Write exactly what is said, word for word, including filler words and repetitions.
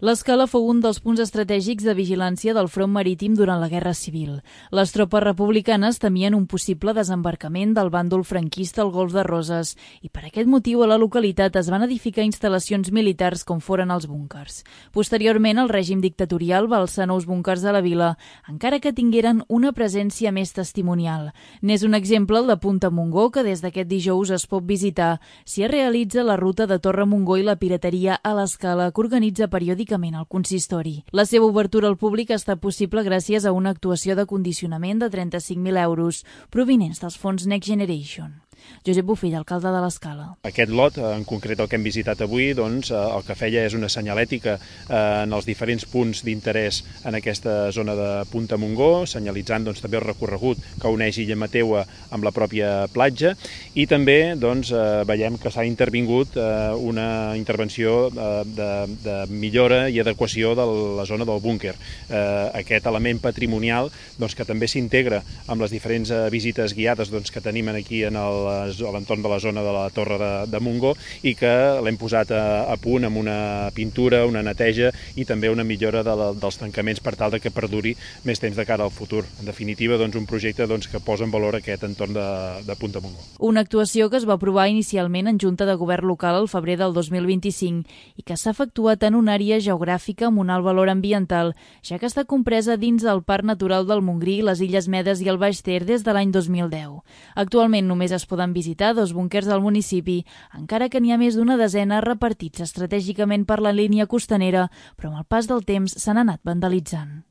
L'Escala fou un dels punts estratègics de vigilància del front marítim durant la Guerra Civil. Les tropes republicanes temien un possible desembarcament del bàndol franquista al Golf de Roses i per aquest motiu a la localitat es van edificar instal·lacions militars com foren els búnkers. Posteriorment, el règim dictatorial va alçar nous búnkers a la vila, encara que tingueren una presència més testimonial. N'és un exemple el de Punta Montgó, que des d'aquest dijous es pot visitar. S'hi realitza la ruta de Torre Montgó i la pirateria a l'Escala, que organitza periòdicament al consistori. La seva obertura al públic ha estat possible gràcies a una actuació de condicionament de trenta-cinc mil euros provinents dels fons Next Generation. Josep Bofill, alcalde de l'Escala. Aquest lot, en concret el que hem visitat avui, doncs, el que feia és una senyalètica en els diferents punts d'interès en aquesta zona de Punta Montgó, senyalitzant doncs, també el recorregut que uneix Illa Mateua amb la pròpia platja, i també doncs, veiem que s'ha intervingut una intervenció de, de millora i adequació de la zona del búnquer. Aquest element patrimonial doncs, que també s'integra amb les diferents visites guiades doncs, que tenim aquí en el a l'entorn de la zona de la Torre de, de Montgó i que l'hem posat a, a punt amb una pintura, una neteja i també una millora de la, dels tancaments per tal de que perduri més temps de cara al futur. En definitiva, doncs, un projecte doncs, que posa en valor aquest entorn de, de Punta Montgó. Una actuació que es va aprovar inicialment en Junta de Govern local al febrer del dos mil vint-i-cinc i que s'ha efectuat en una àrea geogràfica amb un alt valor ambiental, ja que està compresa dins del Parc Natural del Montgrí, les Illes Medes i el Baix Ter des de l'any dos mil deu. Actualment només es poden visitar dos búnquers del municipi, encara que n'hi ha més d'una desena repartits estratègicament per la línia costanera, però amb el pas del temps s'han anat vandalitzant.